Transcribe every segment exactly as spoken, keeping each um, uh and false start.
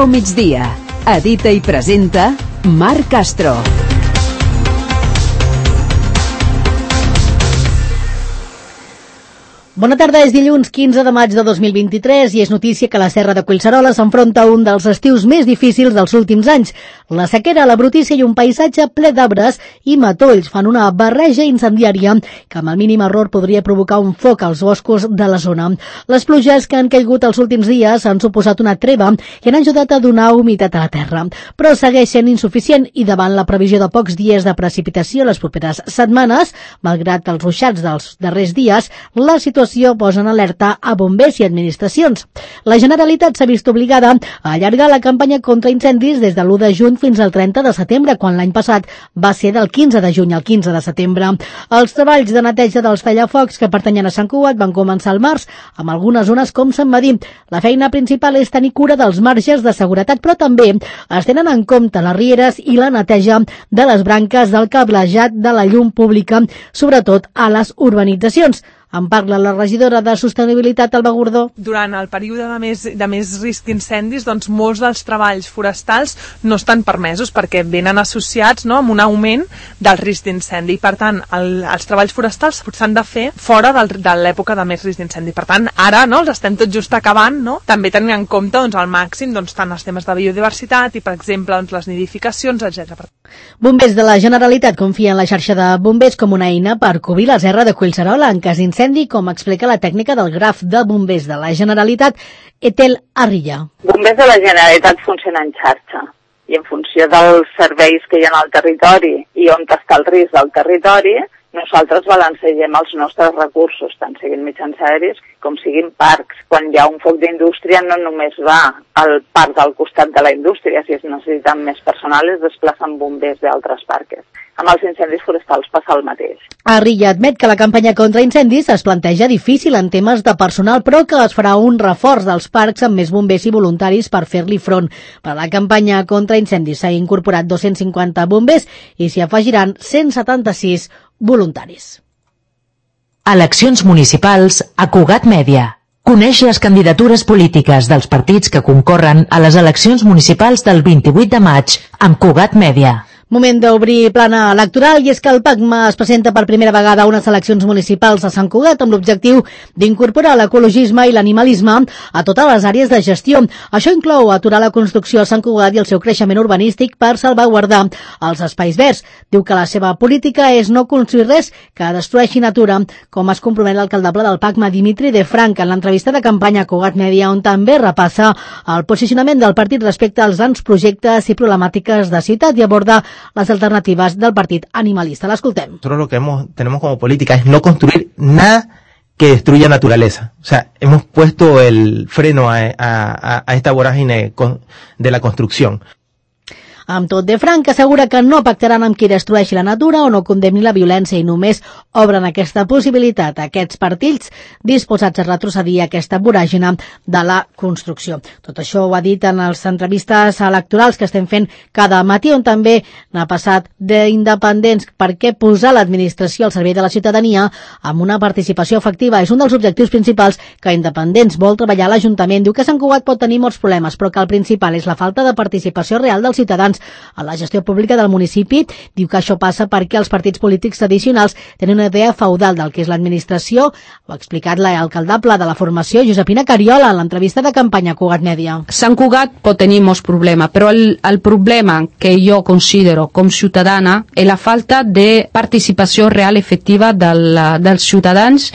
Agafa un migdia. Edita i presenta Marc Castro. Bona tarda, és dilluns quinze de maig de dos mil vint-i-tres i és notícia que la Serra de Collserola s'enfronta a un dels estius més difícils dels últims anys. La sequera, la brutícia i un paisatge ple d'arbres i matolls fan una barreja incendiària que amb el mínim error podria provocar un foc als boscos de la zona. Les pluges que han caigut els últims dies han suposat una treva i han ajudat a donar humitat a la terra, però segueix sent insuficient i davant la previsió de pocs dies de precipitació les properes setmanes, malgrat els ruixats dels darrers dies, la situació posa en alerta a bombers i administracions. La Generalitat s'ha vist obligada a allargar la campanya contra incendis des de l'u de juny fins al trenta de setembre, quan l'any passat va ser del quinze de juny al quinze de setembre. Els treballs de neteja dels tallafocs que pertanyen a Sant Cugat van començar al març, amb algunes zones com Sant Medir. La feina principal és tenir cura dels marges de seguretat, però també es tenen en compte les rieres i la neteja de les branques del cablejat de la llum pública, sobretot a les urbanitzacions. En parla la regidora de Sostenibilitat, Alba Gordó. Durant el període de més, de més risc d'incendis, doncs molts dels treballs forestals no estan permesos perquè venen associats, no, amb un augment del risc d'incendi. Per tant, el, els treballs forestals s'han de fer fora del, de l'època de més risc d'incendi. Per tant, ara no, els estem tot just acabant, no? També tenint en compte doncs, al màxim doncs, tant els temes de biodiversitat i, per exemple, doncs, les nidificacions, etcètera. Bombers de la Generalitat confien en la xarxa de bombers com una eina per cobrir la Serra de Collserola en cas d'incendi, com explica la tècnica del graf de bombers de la Generalitat, Etel Arrilla. Bombers de la Generalitat funciona en xarxa i en funció dels serveis que hi ha al territori i on està el risc del territori, nosaltres balancegem els nostres recursos, tant siguin mitjans aèris com siguin parcs. Quan hi ha un foc d'indústria no només va al parc del costat de la indústria, si es necessiten més personal es desplacen bombers d'altres parcs. Amb els incendis forestals passa el mateix. Arrilla admet que la campanya contra incendis es planteja difícil en temes de personal, però que es farà un reforç dels parcs amb més bombers i voluntaris per fer-li front. Per a la campanya contra incendis s'ha incorporat dos-cents cinquanta bombers i s'hi afegiran cent setanta-sis voluntaris. Eleccions municipals a Cugat Mèdia. Coneix les candidatures polítiques dels partits que concorren a les eleccions municipals del vint-i-vuit de maig amb Cugat Mèdia. Moment d'obrir plana electoral i és que el PACMA es presenta per primera vegada a unes eleccions municipals a Sant Cugat amb l'objectiu d'incorporar l'ecologisme i l'animalisme a totes les àrees de gestió. Això inclou aturar la construcció a Sant Cugat i el seu creixement urbanístic per salvaguardar els espais verds. Diu que la seva política és no construir res que destrueixi natura, com es compromet l'alcaldable del PACMA, Dimitri de Frank, en l'entrevista de campanya a Cugat Mèdia, on també repassa el posicionament del partit respecte als grans projectes i problemàtiques de ciutat i aborda las alternativas del partido animalista. La escoltem. Nosotros lo que hemos, tenemos como política es no construir nada que destruya naturaleza. O sea, hemos puesto el freno a, a, a esta vorágine de la construcción. Amb tot, de Frank assegura que no pactaran amb qui destrueixi la natura o no condemni la violència i només obren aquesta possibilitat a aquests partits disposats a retrocedir a aquesta voràgina de la construcció. Tot això ho ha dit en les entrevistes electorals que estem fent cada matí, on també n'ha passat d'independents, perquè posar l'administració al servei de la ciutadania amb una participació efectiva és un dels objectius principals que Independents vol treballar a l'Ajuntament. Diu que Sant Cugat pot tenir molts problemes, però que el principal és la falta de participació real dels ciutadans a la gestió pública del municipi. Diu que això passa perquè els partits polítics tradicionals tenen una idea feudal del que és l'administració. Ho ha explicat l'alcaldable de la formació, Josepina Cariola, en l'entrevista de campanya a Cugat Mèdia. Sant Cugat pot tenir molts problemes, però el, el problema que jo considero com ciutadana és la falta de participació real efectiva del, dels ciutadans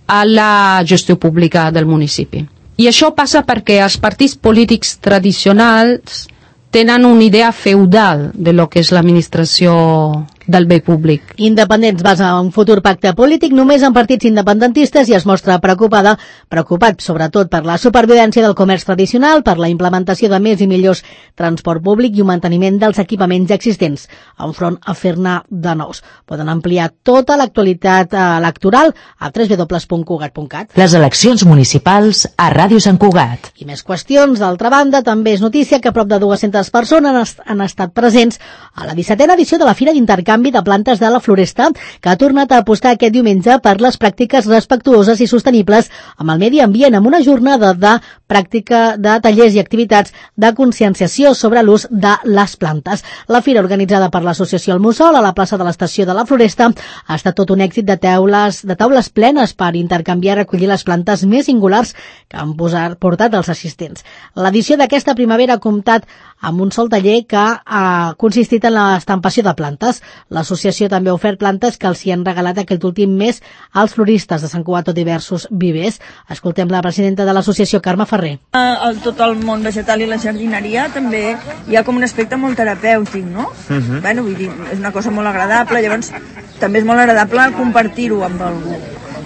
a la gestió pública del municipi. I això passa perquè els partits polítics tradicionals tenen una idea feudal de lo que és l'administració del bé públic. Independents basa un futur pacte polític només en partits independentistes i es mostra preocupada, preocupat sobretot per la supervivència del comerç tradicional, per la implementació de més i millors transport públic i un manteniment dels equipaments existents, enfront a fer-ne de nous. Poden ampliar tota l'actualitat electoral a w w w punt cugat punt cat. Les eleccions municipals a Ràdio Sant Cugat. I més qüestions. D'altra banda, també és notícia que prop de dues-centes persones han estat presents a la dissetena edició de la Fira d'Intercanvi de Plantes de la Floresta, que ha tornat a apostar aquest diumenge per les pràctiques respectuoses i sostenibles amb el medi ambient, amb una jornada de pràctica de tallers i activitats de conscienciació sobre l'ús de les plantes. La fira, organitzada per l'associació El Mussol a la plaça de l'Estació de la Floresta, ha estat tot un èxit de taules, de taules plenes per intercanviar i recollir les plantes més singulars que han posat, portat els assistents. L'edició d'aquesta primavera ha comptat amb un sol taller que ha consistit en l'estampació de plantes. L'associació també ha ofert plantes que els hi han regalat aquest últim mes als floristes de Sant Cugat o diversos vivers. Escoltem la presidenta de l'associació, Carme Ferrer. El, tot el món vegetal i la jardineria també hi ha com un aspecte molt terapèutic, no? Uh-huh. Bueno, vull dir, és una cosa molt agradable, llavors també és molt agradable compartir-ho amb algú.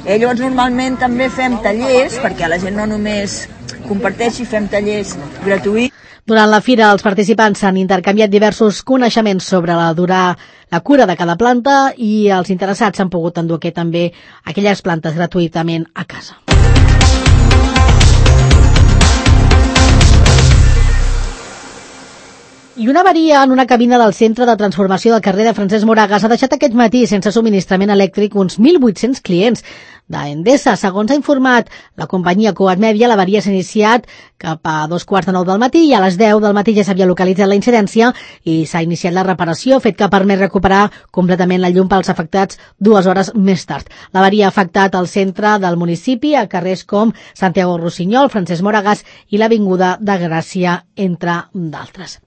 Eh, llavors normalment també fem tallers, perquè la gent no només comparteixi, fem tallers gratuïts. Durant la fira, els participants han intercanviat diversos coneixements sobre la, durar, la cura de cada planta i els interessats han pogut endur també aquelles plantes gratuïtament a casa. I una avaria en una cabina del centre de transformació del carrer de Francesc Moragas ha deixat aquest matí sense subministrament elèctric uns mil vuit-cents clients d'Endesa. Segons ha informat la companyia Cugat Mèdia, l'avaria s'ha iniciat cap a dos quarts de nou del matí i a les deu del matí ja s'havia localitzat la incidència i s'ha iniciat la reparació, fet que ha permès recuperar completament la llum pels afectats dues hores més tard. L'avaria ha afectat el centre del municipi a carrers com Santiago Rossinyol, Francesc Moragas i l'Avinguda de Gràcia, entre d'altres.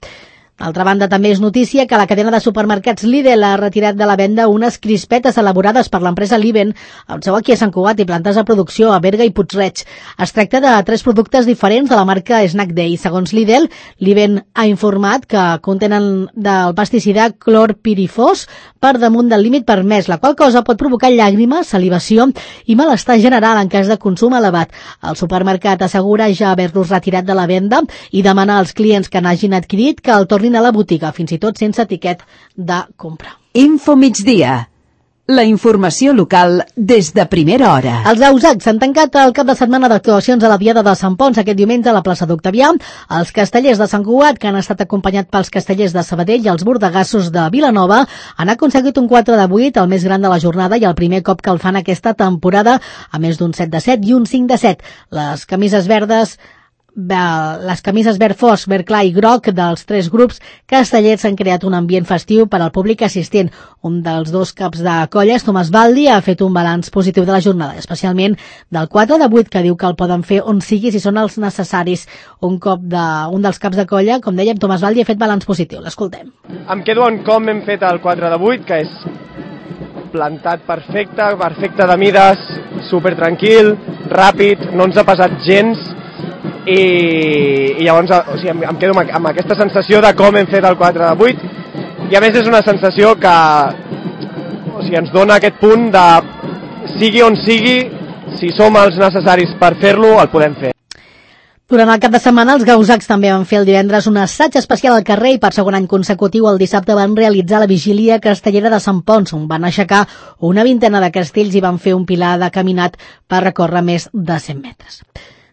D'altra banda, també és notícia que la cadena de supermercats Lidl ha retirat de la venda unes crispetes elaborades per l'empresa Liven, amb seu aquí a Sant Cugat i plantes de producció a Berga i Puig-reig. Es tracta de tres productes diferents de la marca Snack Day. Segons Lidl, Liven ha informat que contenen del pesticida clorpirifos per damunt del límit permès, la qual cosa pot provocar llàgrimes, salivació i malestar general en cas de consum elevat. El supermercat assegura ja haver-los retirat de la venda i demana als clients que n'hagin adquirit que el tornin a la botiga, fins i tot sense etiquet de compra. Info migdia. La informació local des de primera hora. Els Ausacs s'han tancat el cap de setmana d'actuacions a la Diada de Sant Pons aquest diumenge a la plaça d'Octavià. Els castellers de Sant Cugat, que han estat acompanyats pels castellers de Sabadell i els bordegassos de Vilanova, han aconseguit un quatre de vuit, el més gran de la jornada i el primer cop que el fan aquesta temporada, a més d'un set de set i un cinc de set. Les camises verdes les camises verd fosc, verd clar i groc dels tres grups castellers han creat un ambient festiu per al públic assistent. Un dels dos caps de colles, Tomàs Baldi, ha fet un balanç positiu de la jornada, especialment del quatre de vuit, que diu que el poden fer on sigui si són els necessaris. Un cop de, un dels caps de colla, com dèiem, Tomàs Baldi, ha fet balanç positiu. L'escoltem. Em quedo en com hem fet el quatre de vuit, que és plantat perfecte, perfecte de mides, super tranquil, ràpid, no ens ha pesat gens. I, i llavors o sigui, em, em quedo amb, amb aquesta sensació de com hem fet el quatre de vuit i a més és una sensació que o sigui, ens dona aquest punt de sigui on sigui, si som els necessaris per fer-lo, el podem fer. Durant el cap de setmana, els gausacs també van fer el divendres un assaig especial al carrer i per segon any consecutiu el dissabte van realitzar la vigília castellera de Sant Pons, on van aixecar una vintena de castells i van fer un pilar de caminat per recórrer més de cent metres.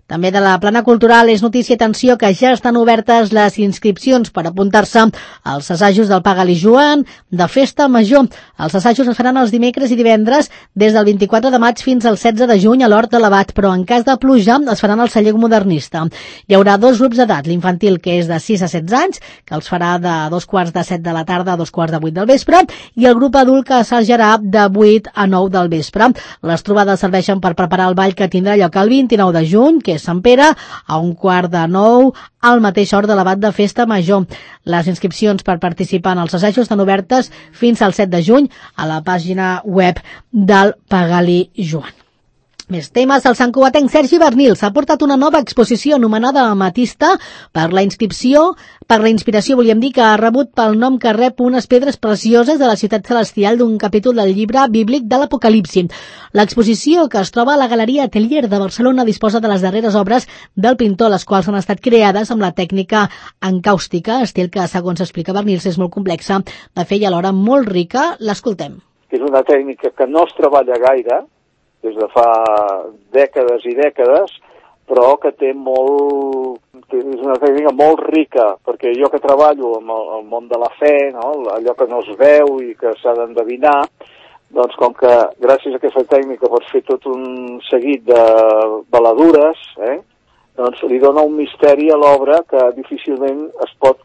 També de la plana cultural és notícia, atenció, que ja estan obertes les inscripcions per apuntar-se als assajos del Pagali Joan de Festa Major. Els assajos es faran els dimecres i divendres des del vint-i-quatre de maig fins al setze de juny a l'Hort de l'Abat, però en cas de pluja es faran al celler modernista. Hi haurà dos grups d'edat, l'infantil, que és de sis a setze anys, que els farà de dos quarts de set de la tarda a dos quarts de vuit del vespre, i el grup adult, que assajarà de vuit a nou del vespre. Les trobades serveixen per preparar el ball que tindrà lloc el vint-i-nou de juny, que és Sant Pere, a un quart de nou al mateix hort de l'Abat de Festa Major. Les inscripcions per participar en els assajos estan obertes fins al set de juny a la pàgina web del Pagali Joan. Més temes. El santcugatenc Sergi Bernil s'ha portat una nova exposició anomenada Amatista per la inscripció, per la inspiració, volíem dir, que ha rebut pel nom que rep unes pedres precioses de la ciutat celestial d'un capítol del llibre bíblic de l'Apocalipsi. L'exposició, que es troba a la Galeria Atelier de Barcelona, disposa de les darreres obres del pintor, les quals han estat creades amb la tècnica encàustica, estil que, segons explica Bernil, és molt complexa de fer i alhora molt rica. L'escoltem. És una tècnica que no es treballa gaire, des de fa dècades i dècades, però que té molt... és una tècnica molt rica, perquè jo que treballo amb el, el món de la fe, no? Allò que no es veu i que s'ha d'endevinar, doncs com que gràcies a aquesta tècnica pots fer tot un seguit de baladures, eh? doncs li dona un misteri a l'obra que difícilment es pot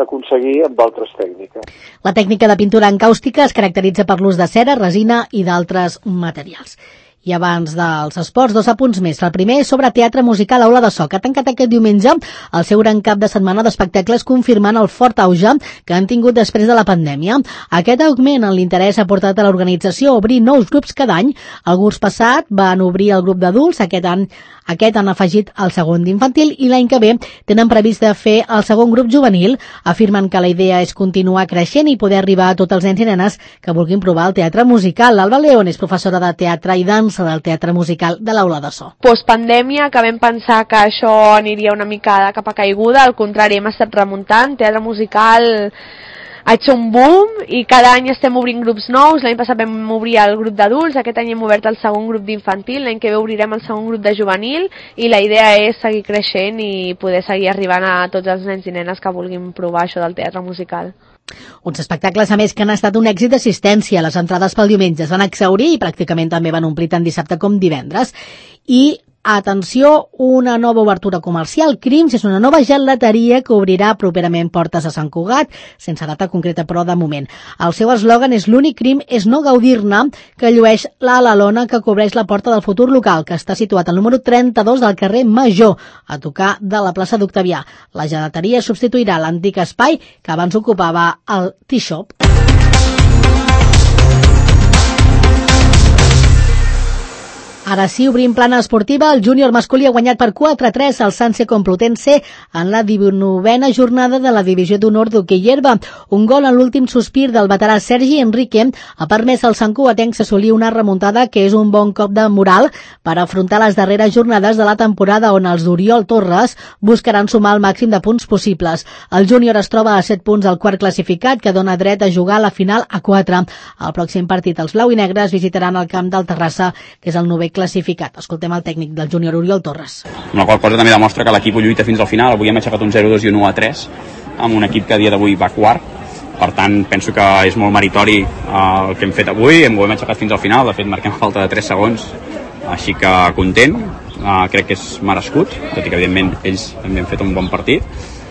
aconseguir amb altres tècniques. La tècnica de pintura encàustica es caracteritza per l'ús de cera, resina i d'altres materials. I abans dels esports, dos apunts més. El primer és sobre teatre musical Aula de So, que ha tancat aquest diumenge el seu gran cap de setmana d'espectacles confirmant el fort auge que han tingut després de la pandèmia. Aquest augment en l'interès ha portat a l'organització a obrir nous grups cada any. El curs passat van obrir el grup d'adults, aquest any aquest han afegit el segon d'infantil i l'any que ve tenen previst de fer el segon grup juvenil. Afirmen que la idea és continuar creixent i poder arribar a tots els nens i nenes que vulguin provar el teatre musical. L'Alba León és professora de teatre i dansa del teatre musical de l'Aula de So. Postpandèmia, que vam pensar que això aniria una mica de capa caiguda, al contrari, hem estat remuntant. Teatre musical ha hecho un boom i cada any estem obrint grups nous. L'any passat vam obrir el grup d'adults, aquest any hem obert el segon grup d'infantil, l'any que ve obrirem el segon grup de juvenil i la idea és seguir creixent i poder seguir arribant a tots els nens i nenes que vulguin provar això del teatre musical. Uns espectacles, a més, que han estat un èxit d'assistència. Les entrades pel diumenge es van exhaurir i pràcticament també van omplir tant dissabte com divendres. I atenció, una nova obertura comercial. Crims és una nova gelateria que obrirà properament portes a Sant Cugat, sense data concreta però de moment. El seu eslògan és l'únic crim és no gaudir-ne, que llueix la lona que cobreix la porta del futur local, que està situat al número trenta-dos del carrer Major, a tocar de la plaça d'Octavià. La gelateria substituirà l'antic espai que abans ocupava el Tea Shop. Ara sí, obrim plana esportiva. El júnior masculí ha guanyat per quatre a tres al Sanse Complutense en la divuitena jornada de la divisió d'honor d'hoquei herba. Un gol en l'últim sospir del veterà Sergi Enrique ha permès al santcugatenc assolir una remuntada que és un bon cop de moral per afrontar les darreres jornades de la temporada, on els d'Oriol Torres buscaran sumar el màxim de punts possibles. El júnior es troba a set punts al quart classificat, que dona dret a jugar la final a quatre. Al pròxim partit els blau i negres visitaran el camp del Terrassa, que és el novè classificat. Escoltem el tècnic del júnior, Oriol Torres. Una qual cosa també demostra que l'equip ho lluita fins al final. Avui hem aixecat un zero dos i un u a tres amb un equip que a dia d'avui va quart. Per tant, penso que és molt meritori uh, el que hem fet avui. Hem, ho hem aixecat fins al final. De fet, marquem a falta de tres segons. Així que content. Uh, crec que és merescut, tot i que evidentment ells també han fet un bon partit.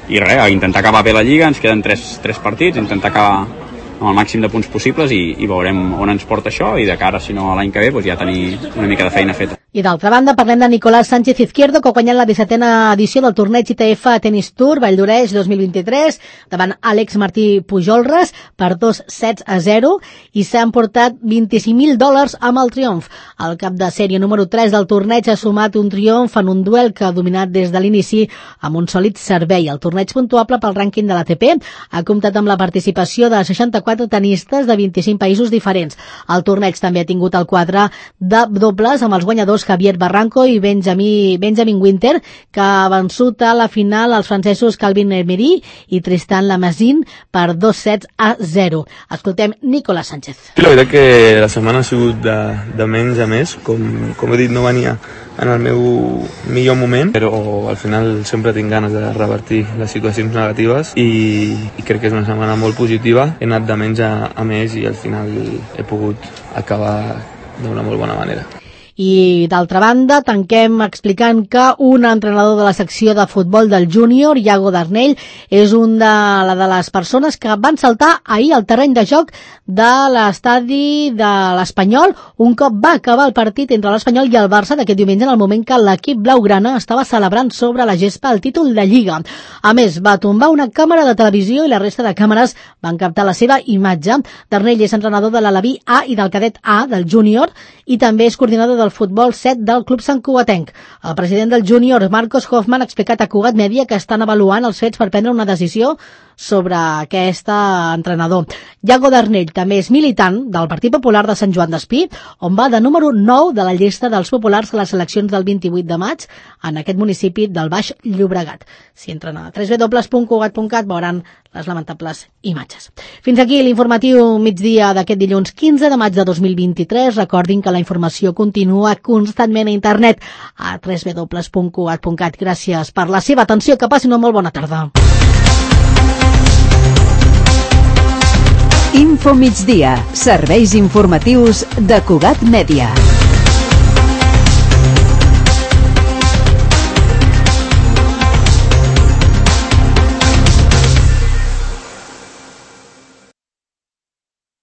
I res, intentar acabar bé la Lliga. Ens queden tres, tres partits, intentar acabar amb el màxim de punts possibles i, i veurem on ens porta això, i de cara, si no, a l'any que ve, doncs ja tenir una mica de feina feta. I d'altra banda, parlem de Nicolás Sánchez Izquierdo, que ha guanyat la dissetena edició del torneig I T F Tennis Tour Valldoreix dos mil vint-i-tres davant Àlex Martí Pujolres per dos sets a zero i s'ha emportat vint-i-cinc mil dòlars amb el triomf. El cap de sèrie número tres del torneig ha sumat un triomf en un duel que ha dominat des de l'inici amb un sòlid servei. El torneig puntuable pel rànquing de l'A T P ha comptat amb la participació de seixanta-quatre tenistes de vint-i-cinc països diferents. El torneig també ha tingut el quadre de dobles amb els guanyadors Javier Barranco i Benjamin, Benjamin Winter, que ha vençut a la final els francesos Calvin Emery i Tristan Lamazine per dos sets a zero. Escoltem Nicolás Sánchez. Sí, la veritat que la setmana ha sigut de, de menys a més. Com, com he dit, no venia en el meu millor moment, però al final sempre tinc ganes de revertir les situacions negatives i, i crec que és una setmana molt positiva. He anat de menys a, a més i al final he pogut acabar d'una molt bona manera. I d'altra banda, tanquem explicant que un entrenador de la secció de futbol del júnior, Iago Darnell, és un de, la de les persones que van saltar ahir al terreny de joc de l'estadi de l'Espanyol un cop va acabar el partit entre l'Espanyol i el Barça d'aquest diumenge, en el moment que l'equip blaugrana estava celebrant sobre la gespa el títol de Lliga. A més, va tombar una càmera de televisió i la resta de càmeres van captar la seva imatge. Darnell és entrenador de l'Alaví A i del cadet A del júnior i també és coordinador del futbol set del Club Santcugatenc. El president del júnior, Marcos Hoffman, ha explicat a Cugat Mèdia que estan avaluant els fets per prendre una decisió sobre aquest entrenador. Iago Darnell també és militant del Partit Popular de Sant Joan d'Espí, on va de número nou de la llista dels populars a les eleccions del vint-i-vuit de maig en aquest municipi del Baix Llobregat. Si entren a w w w punt cugat punt cat veuran les lamentables imatges. Fins aquí l'informatiu migdia d'aquest dilluns quinze de maig de dos mil vint-i-tres. Recordin que la informació continua constantment a internet a w w w punt cugat punt cat. Gràcies per la seva atenció. Que passin una molt bona tarda. Info migdia. Serveis informatius de Cugat Mèdia.